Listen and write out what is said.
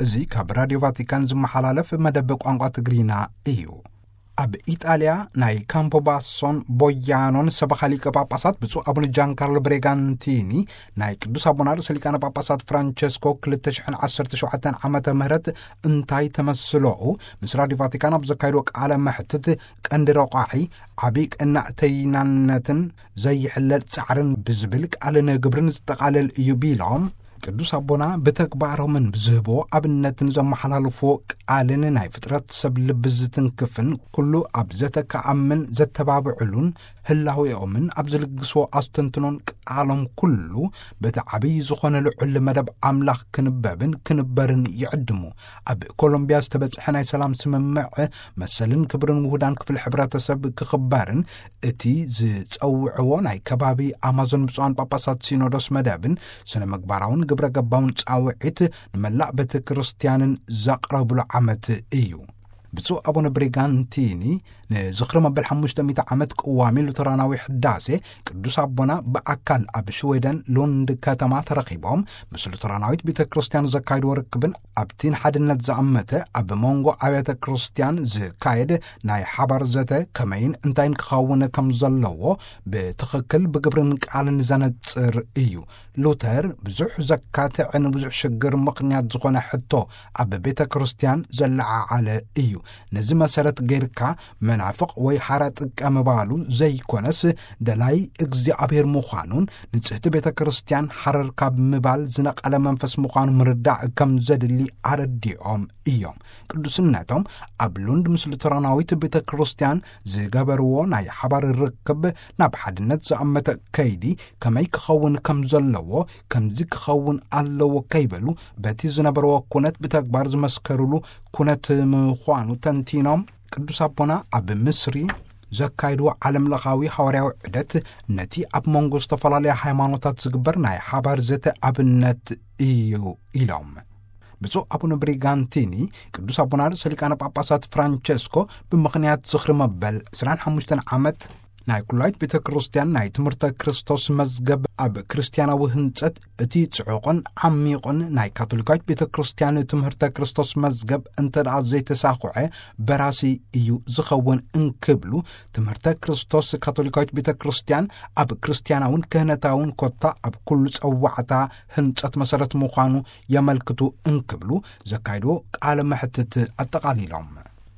እዚ ካብ ራዲዮ ቫቲካን ዝመሓላለፍ መደብ ቋንቋ ትግርኛ እዩ። ኣብ ኢጣልያ ናይ ካምፖባሶን ቦያኖን ሰበኻ ሊቀ ጳጳሳት ብፁዕ ኣቡነ ጃን ካርሎ ብሬጋንቲኒ፣ ናይ ቅዱስ ኣቦና ርእሰ ሊቃነ ጳጳሳት ፍራንቸስኮ ክልተ ሽሕን ዓሰርተ ሸውዓተን ዓመተ ምህረት እንታይ ተመስሎኡ፣ ምስ ራዲዮ ቫቲካን ኣብ ዘካየድዎ ቃለ መሕትት፣ ቀንዲ ረቋሒ ዓቢ ቀናእተይናነትን ዘይሕለል ጻዕርን ብዝብል ቃልን ግብርን ዝጠቓለል እዩ ቢሎም፣ ቅዱስ ኣቦና ብተግባሮምን ብዝህብዎ ኣብነትን ዘመሓላልፍዎ ቃልን ናይ ፍጥረት ሰብ ልቢ ዝትንክፍን፣ ኩሉ ኣብ ዘተ ክኣምን ዘተባብዕሉን ህላዌኦምን ኣብ ዝልግስዎ ኣስተንትኖን ቃሎም ኩሉ በቲ ዓብዪ ዝኾነ ልዑል መደብ ኣምላኽ ክንበብን ክንበርን ይዕድሙ። ኣብ ኮሎምቢያ ዝተበጽሐ ናይ ሰላም ስምምዕ መሰልን ክብርን ውሁዳን ክፍሊ ሕብረተሰብ ክኽበርን እቲ ዝጸውዕዎ ናይ ከባቢ ኣማዞን ብፁዓን ጳጳሳት ሲኖዶስ መደብን ስነ ምግባራውን ግብረ ገባውን ጻውዒት ንመላእ ቤተ ክርስቲያንን ዘቕረብሉ ዓመት እዩ። ብፁዕ ኣቡነ ብሪጋንቲኒ ንዝኽሪ መበል ሓሙሽተ ሚእቲ ዓመት ቅዋሚ ሉተራናዊ ሕዳሴ ቅዱስ ኣቦና ብኣካል ኣብ ሽዌደን ሉንድ ከተማ ተረኺቦም ምስ ሉተራናዊት ቤተ ክርስቲያን ዘካይድዎ ርክብን ኣብቲ ንሓድነት ዝኣመተ ኣብ መንጎ ኣብያተ ክርስቲያን ዝካየድ ናይ ሓባር ዘተ ከመይን እንታይን ክኸውን ከም ዘለዎ ብትኽክል ብግብርን ቃልን ዘነጽር እዩ። ሉተር ብዙሕ ዘካትዕን ብዙሕ ሽግር ምኽንያት ዝኾነ ሕቶ ኣብ ቤተ ክርስቲያን ዘለዓዓለ እዩ። ነዚ መሰረት ጌርካ መናፍቕ ወይ ሓራ ጥቀ ምባሉ ዘይኮነስ፣ ደላይ እግዚኣብሔር ምዃኑን ንጽህቲ ቤተ ክርስቲያን ሓረር ካብ ምባል ዝነቐለ መንፈስ ምዃኑ ምርዳእ ከም ዘድሊ ኣረዲኦም እዮም። ቅዱስነቶም ኣብ ሉንድ ምስ ሉተራናዊት ቤተ ክርስቲያን ዝገበርዎ ናይ ሓባር ርክብ ናብ ሓድነት ዝኣመተ ከይዲ ከመይ ክኸውን ከም ዘለዎ፣ ከምዚ ክኸውን ኣለዎ ከይበሉ በቲ ዝነበርዎ ኩነት ብተግባር ዝመስከሩሉ ኩነት ምዃኑ ተንቲኖም፣ ቅዱስ ኣቦና ኣብ ምስሪ ዘካይድዎ ዓለም ለኻዊ ሃዋርያዊ ዑደት ነቲ ኣብ መንጎ ዝተፈላለያ ሃይማኖታት ዝግበር ናይ ሓባር ዘተ ኣብነት እዩ ኢሎም። ብፁዕ ኣቡነ ብሪጋንቲኒ ቅዱስ ኣቦና ርእሰ ሊቃነ ጳጳሳት ፍራንቸስኮ ብምኽንያት ዝኽሪ መበል ዕስራን ሓሙሽተን ዓመት ናይ ኩላይት ቤተ ክርስቲያን ናይ ትምህርተ ክርስቶስ መዝገብ ኣብ ክርስቲያናዊ ህንጸት እቲ ጽዑቕን ዓሚቑን ናይ ካቶሊካዊት ቤተ ክርስቲያን ትምህርተ ክርስቶስ መዝገብ እንተ ደኣ ዘይተሳኹዐ በራሲ እዩ ዝኸውን እንክብሉ፣ ትምህርተ ክርስቶስ ካቶሊካዊት ቤተ ክርስቲያን ኣብ ክርስቲያናውን ክህነታውን ኮታ ኣብ ኩሉ ጸዋዕታ ህንጸት መሰረት ምዃኑ የመልክቱ እንክብሉ ዘካይድዎ ቃለ መሕትት ኣጠቓሊሎም።